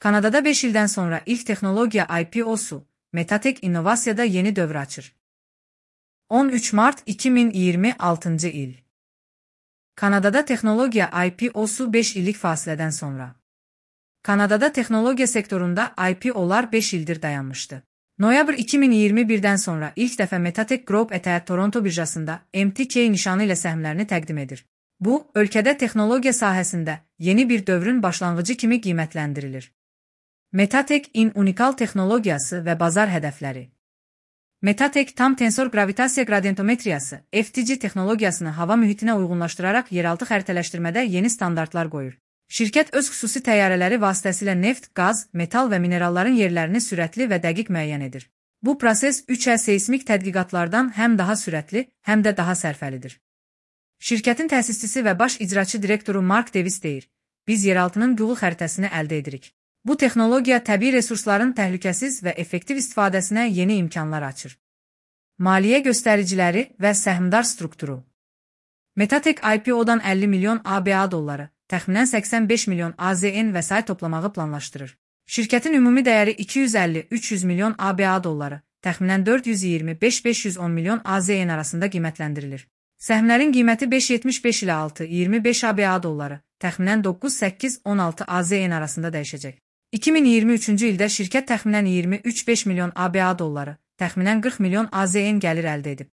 Kanada'da 5 ildən sonra ilk texnologiya IPO-su, Metatek İnnovasiyada yeni dövr açır. 13 Mart 2026 il. Kanada'da texnologiya IPO-su 5 illik fasilədən sonra. Kanada'da texnologiya sektorunda IPO-lar 5 ildir dayanmışdı. Noyabr 2021-dən sonra ilk dəfə Metatek Group ETH Toronto birjasında MTK nişanı ilə səhmlərini təqdim edir. Bu, ölkədə texnologiya sahəsində yeni bir dövrün başlanğıcı kimi qiymətləndirilir. Metatek-in unikal texnologiyası və bazar hədəfləri. Metatek tam tensor gravitasiya gradientometriyası (FTG) texnologiyasını hava mühitinə uyğunlaşdıraraq yeraltı xəritələşdirmədə yeni standartlar qoyur. Şirkət öz xüsusi təyyarələri vasitəsilə neft, qaz, metal və mineralların yerlərini sürətli və dəqiq müəyyən edir. Bu proses 3 seysmik tədqiqatlardan həm daha sürətli, həm də daha sərfəlidir. Şirkətin təsisçisi və baş icraçı direktoru Mark Davis deyir, biz yeraltının Google xəritəsini əldə edirik. Bu texnologiya təbii resursların təhlükəsiz və effektiv istifadəsinə yeni imkanlar açır. Maliyyə göstəriciləri və səhmdar strukturu. Metatek IPO-dan 50 milyon ABA dolları, təxminən 85 milyon AZN vəsait toplamağı planlaşdırır. Şirkətin ümumi dəyəri 250-300 milyon ABA dolları, təxminən 425-510 milyon AZN arasında qiymətləndirilir. Səhmlərin qiyməti 5.75 ilə 6.25 ABA dolları, təxminən 9-8-16 AZN arasında dəyişəcək. 2023-cü ildə şirkət təxminən 23-5 milyon ABA dolları, təxminən 40 milyon AZN gəlir əldə edib.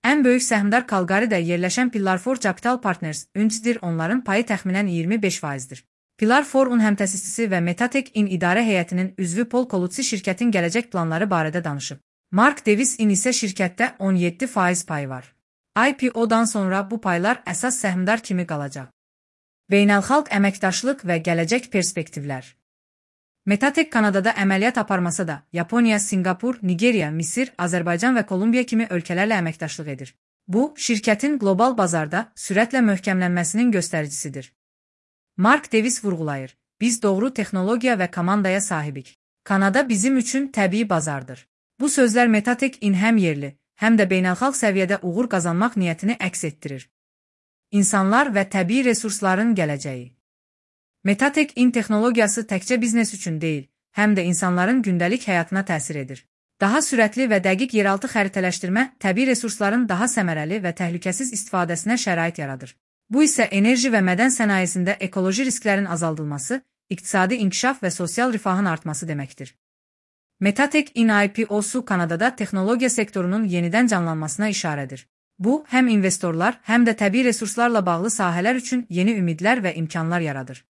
Ən böyük səhmdar Calgary'də yerləşən Pillar 4 Capital Partners Inc.dir, onların payı təxminən 25%-dir. Pillar 4-un həmtəsisçisi və Metatek-in idarə heyətinin üzvü Paul Colucci şirkətin gələcək planları barədə danışıb. Mark Davis-in isə şirkətdə 17% payı var. IPO-dan sonra bu paylar əsas səhmdar kimi qalacaq. Beynəlxalq əməkdaşlıq və gələcək perspektivlər. Metatek Kanadada əməliyyat aparmasa da, Yaponiya, Singapur, Nigeriya, Misir, Azərbaycan və Kolumbiya kimi ölkələrlə əməkdaşlıq edir. Bu, şirkətin qlobal bazarda sürətlə möhkəmlənməsinin göstəricisidir. Mark Davis vurğulayır, biz doğru texnologiya və komandaya sahibik. Kanada bizim üçün təbii bazardır. Bu sözlər Metatek-in həm yerli, həm də beynəlxalq səviyyədə uğur qazanmaq niyyətini əks etdirir. İnsanlar və təbii resursların gələcəyi. Metatek-in texnologiyası təkcə biznes üçün deyil, həm də insanların gündəlik həyatına təsir edir. Daha sürətli və dəqiq yeraltı xəritələşdirmə təbii resursların daha səmərəli və təhlükəsiz istifadəsinə şərait yaradır. Bu isə enerji və mədən sənayesində ekoloji risklərin azaldılması, iqtisadi inkişaf və sosial rifahın artması deməkdir. Metatek-in IPO-su Kanadada texnologiya sektorunun yenidən canlanmasına işarədir. Bu, həm investorlar, həm də təbii resurslarla bağlı sahələr üçün yeni ümidlər və imkanlar yaradır.